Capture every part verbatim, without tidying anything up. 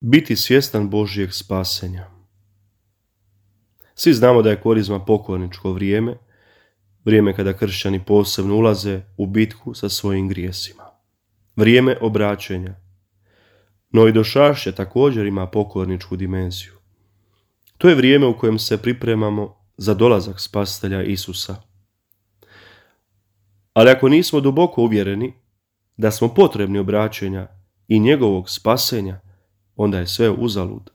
Biti svjestan Božjeg spasenja. Svi znamo da je korizma pokorničko vrijeme, vrijeme kada kršćani posebno ulaze u bitku sa svojim grijesima. Vrijeme obraćenja. No i došašće također ima pokorničku dimenziju. To je vrijeme u kojem se pripremamo za dolazak spasitelja Isusa. Ali ako nismo duboko uvjereni da smo potrebni obraćenja i njegovog spasenja, onda je sve uzalud.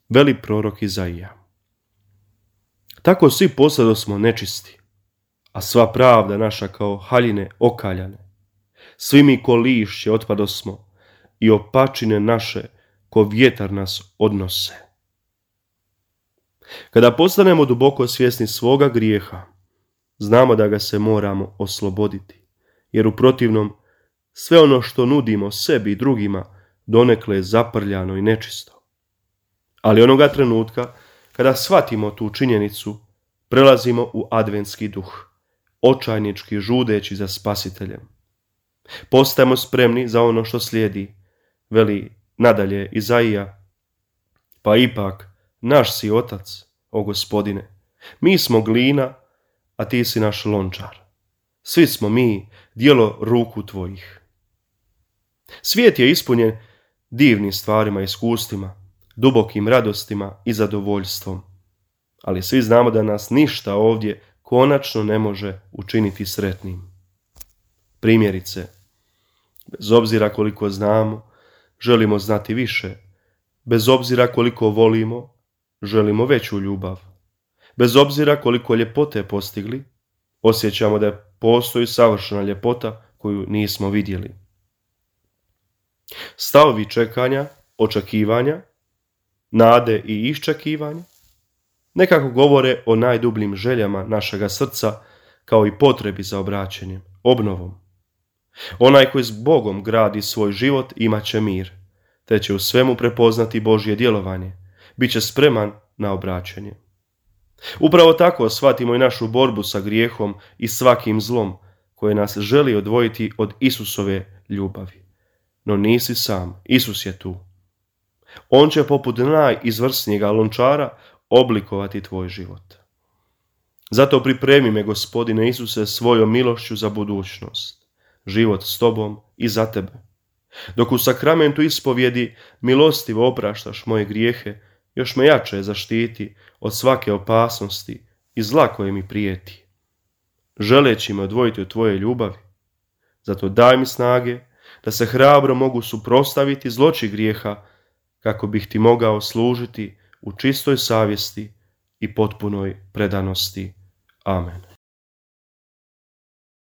Veli prorok Izaija. Tako svi posledo smo nečisti, a sva pravda naša kao haljine okaljane. Svi mi ko lišće otpadosmo i opačine naše ko vjetar nas odnose. Kada postanemo duboko svjesni svoga grijeha, znamo da ga se moramo osloboditi, jer u protivnom sve ono što nudimo sebi i drugima donekle je zaprljano i nečisto. Ali onoga trenutka kada shvatimo tu činjenicu, prelazimo u adventski duh, očajnički žudeći za spasiteljem. Postajemo spremni za ono što slijedi, veli nadalje Izaija. Pa ipak, naš si otac, o Gospodine, mi smo glina, a ti si naš lončar. Svi smo mi djelo ruku tvojih. Svijet je ispunjen divnim stvarima i iskustvima, dubokim radostima i zadovoljstvom. Ali svi znamo da nas ništa ovdje konačno ne može učiniti sretnim. Primjerice, bez obzira koliko znamo, želimo znati više. Bez obzira koliko volimo, želimo veću ljubav. Bez obzira koliko ljepote postigli, osjećamo da postoji savršena ljepota koju nismo vidjeli. Stavovi čekanja, očekivanja, nade i iščekivanja nekako govore o najdubljim željama našega srca kao i potrebi za obraćanjem, obnovom. Onaj koji s Bogom gradi svoj život imat će mir, te će u svemu prepoznati Božje djelovanje, bit će spreman na obraćanje. Upravo tako shvatimo i našu borbu sa grijehom i svakim zlom koje nas želi odvojiti od Isusove ljubavi. No nisi sam, Isus je tu. On će poput najizvrsnijega lončara oblikovati tvoj život. Zato pripremi me, Gospodine Isuse, svojom milošću za budućnost, život s tobom i za tebe. Dok u sakramentu ispovjedi milostivo opraštaš moje grijehe, još me jače zaštiti od svake opasnosti i zla koje mi prijeti, želeći me odvojiti od tvoje ljubavi. Zato daj mi snage da se hrabro mogu suprotstaviti zloći grijeha, kako bih ti mogao služiti u čistoj savjesti i potpunoj predanosti. Amen.